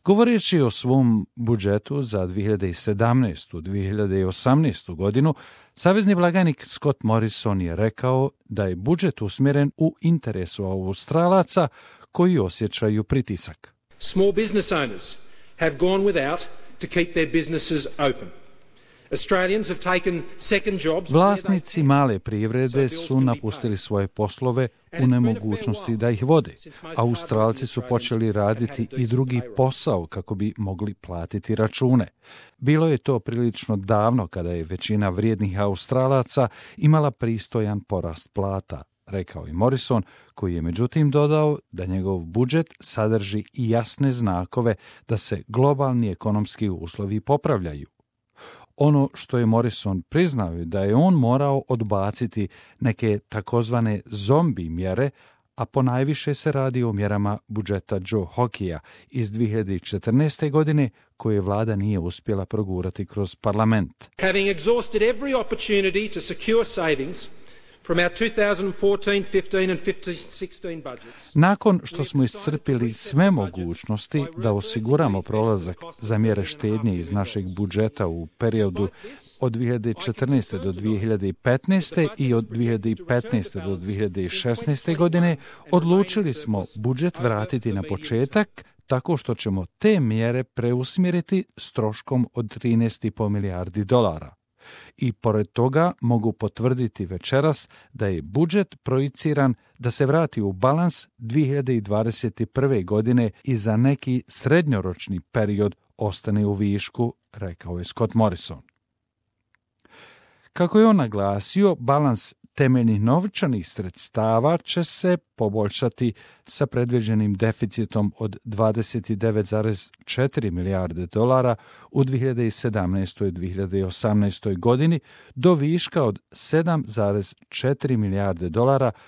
Govoreći o svom budžetu za 2017-2018 godinu, savezni blagajnik Scott Morrison je rekao da je budžet usmjeren u interesu Australaca koji osjećaju pritisak. Small business owners have gone without to keep their businesses open. Australians have taken second jobs. Vlasnici male privrede su napustili svoje poslove u nemogućnosti da ih vode. Australci su počeli raditi i drugi posao kako bi mogli platiti račune. Bilo je to prilično davno kada je većina vrijednih Australaca imala pristojan porast plata, rekao je Morrison, koji je međutim dodao da njegov budžet sadrži i jasne znakove da se globalni ekonomski uslovi popravljaju. Ono što je Morrison priznao je da je on morao odbaciti neke takozvane zombi mjere, a ponajviše se radi o mjerama budžeta Joe Hockeya iz 2014. godine koje vlada nije uspjela progurati kroz parlament. Having exhausted every opportunity to secure savings from our 2014, 15 and 16 budgets. Nakon što smo iscrpili sve mogućnosti da osiguramo prolazak za mjere štednje iz našeg budžeta u periodu od 2014. do 2015. i od 2015. do 2016. godine, odlučili smo budžet vratiti na početak tako što ćemo te mjere preusmjeriti s troškom od $13,5 milijardi. I pored toga mogu potvrditi večeras da je budžet projiciran da se vrati u balans 2021. godine i za neki srednjoročni period ostane u višku, rekao je Scott Morrison. Kako je on naglasio, balans temeljnih novčanih sredstava će se poboljšati sa predviđenim deficitom od $29,4 milijarde u 2017. i 2018. godini do viška od $7,4 milijarde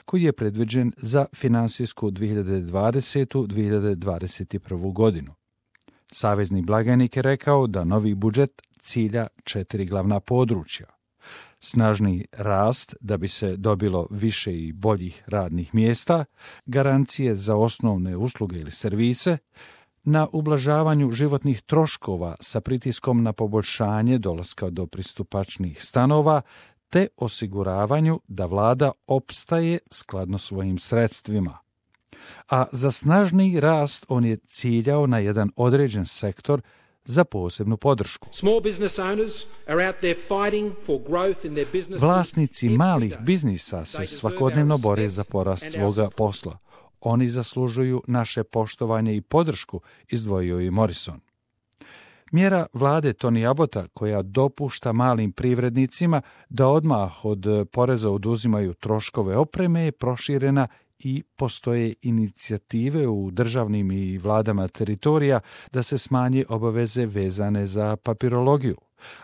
koji je predviđen za finansijsku 2020-2021. godinu. Savezni blagajnik je rekao da novi budžet cilja 4 glavna područja. Snažni rast da bi se dobilo više i boljih radnih mjesta, garancije za osnovne usluge ili servise, na ublažavanju životnih troškova sa pritiskom na poboljšanje dolaska do pristupačnih stanova, te osiguravanju da vlada opstaje skladno svojim sredstvima. A za snažni rast on je ciljao na jedan određen sektor za posebnu podršku. Vlasnici malih biznisa se svakodnevno bore za porast svoga posla. Oni zaslužuju naše poštovanje i podršku, izdvojio je Morrison. Mjera vlade Tony Abbotta, koja dopušta malim privrednicima da odmah od poreza oduzimaju troškove opreme, je proširena i postoje inicijative u državnim i vladama teritorija da se smanje obaveze vezane za papirologiju.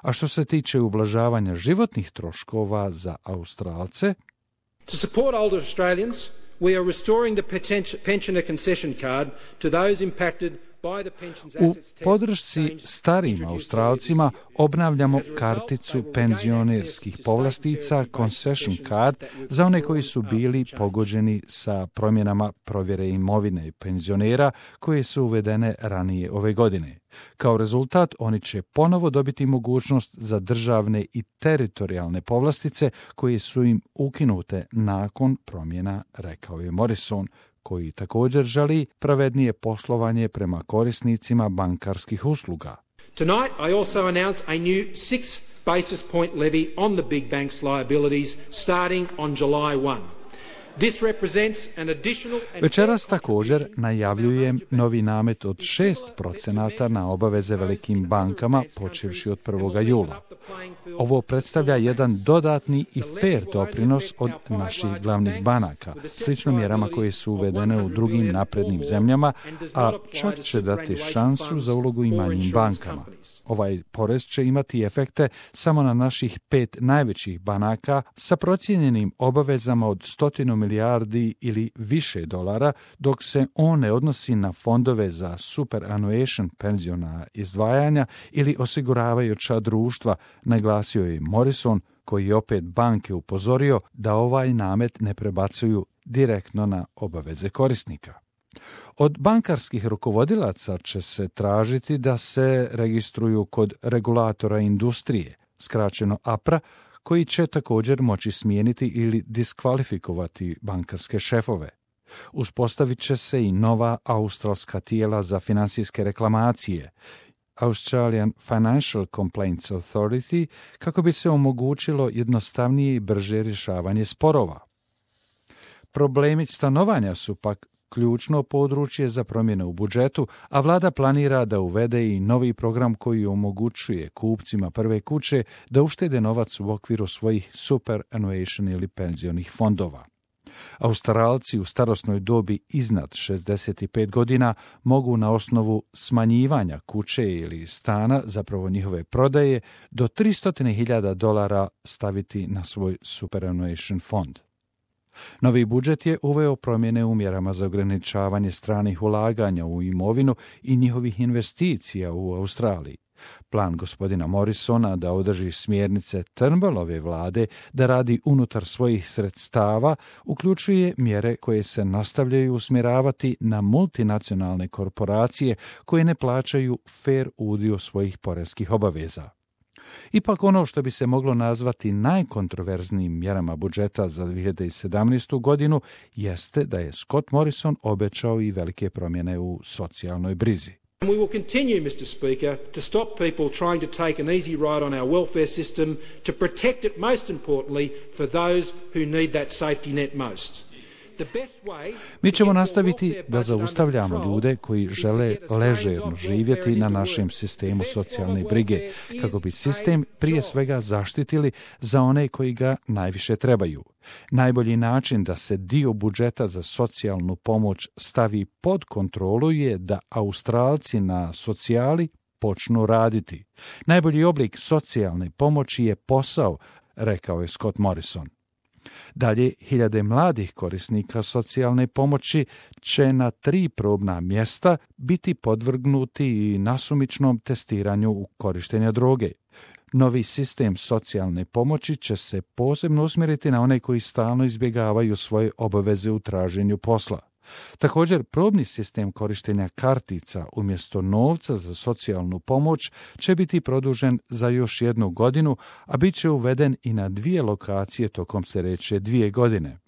A što se tiče ublažavanja životnih troškova za Australce, to support older Australians, we are restoring the pensioner concession card to those impacted. U podršci starijim Australcima obnavljamo karticu penzionerskih povlastica Concession Card za one koji su bili pogođeni sa promjenama provjere imovine penzionera koje su uvedene ranije ove godine. Kao rezultat, oni će ponovo dobiti mogućnost za državne i teritorijalne povlastice koje su im ukinute nakon promjena, rekao je Morrison, koji također želi pravednije poslovanje prema korisnicima bankarskih usluga. Tonight I also announce a new 6 basis point levy on the big banks' liabilities starting on July 1. Večeras također najavljujem novi namet od 6% na obaveze velikim bankama počevši od 1. jula. Ovo predstavlja jedan dodatni i fair doprinos od naših glavnih banaka, slično mjerama koje su uvedene u drugim naprednim zemljama, a čak će dati šansu za ulogu i manjim bankama. Ovaj porez će imati efekte samo na naših 5 najvećih banaka sa procijenjenim obavezama od 100 milijardi ili više dolara, dok se on ne odnosi na fondove za superannuation penziona izdvajanja ili osiguravajuća društva, naglasio je Morrison, koji je opet banke upozorio da ovaj namet ne prebacuju direktno na obaveze korisnika. Od bankarskih rukovodilaca će se tražiti da se registruju kod regulatora industrije, skraćeno APRA, koji će također moći smijeniti ili diskvalifikovati bankarske šefove. Uspostavit će se i nova australska tijela za financijske reklamacije, Australian Financial Complaints Authority, kako bi se omogućilo jednostavnije i brže rješavanje sporova. Problemi stanovanja su pak ključno područje za promjene u budžetu, a vlada planira da uvede i novi program koji omogućuje kupcima prve kuće da uštede novac u okviru svojih superannuation ili penzionih fondova. Australci u starosnoj dobi iznad 65 godina mogu na osnovu smanjivanja kuće ili stana, zapravo njihove prodaje, do $300,000 staviti na svoj superannuation fond. Novi budžet je uveo promjene u mjerama za ograničavanje stranih ulaganja u imovinu i njihovih investicija u Australiji. Plan gospodina Morrisona da održi smjernice Turnbullove vlade da radi unutar svojih sredstava uključuje mjere koje se nastavljaju usmjeravati na multinacionalne korporacije koje ne plaćaju fer udio svojih poreskih obaveza. Ipak ono što bi se moglo nazvati najkontroverznijim mjerama budžeta za 2017. godinu jeste da je Scott Morrison obećao i velike promjene u socijalnoj brizi. And we will continue, Mr. Speaker, to stop people trying to take an easy ride on our welfare system, to protect it most importantly for those who need that safety net most. Mi ćemo nastaviti da zaustavljamo ljude koji žele ležerno živjeti na našem sistemu socijalne brige, kako bi sistem prije svega zaštitili za one koji ga najviše trebaju. Najbolji način da se dio budžeta za socijalnu pomoć stavi pod kontrolu je da Australci na socijali počnu raditi. Najbolji oblik socijalne pomoći je posao, rekao je Scott Morrison. Dalje, hiljade mladih korisnika socijalne pomoći će na 3 probna mjesta biti podvrgnuti i nasumičnom testiranju u korištenja droge. Novi sistem socijalne pomoći će se posebno usmjeriti na one koji stalno izbjegavaju svoje obaveze u traženju posla. Također, probni sistem korištenja kartica umjesto novca za socijalnu pomoć će biti produžen za još 1 godinu, a bit će uveden i na 2 lokacije tokom sljedeće 2 godine.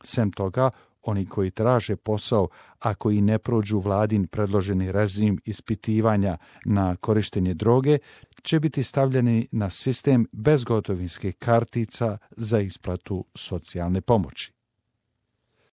Sem toga, oni koji traže posao, a koji ne prođu vladin predloženi režim ispitivanja na korištenje droge, će biti stavljeni na sistem bezgotovinskih kartica za isplatu socijalne pomoći.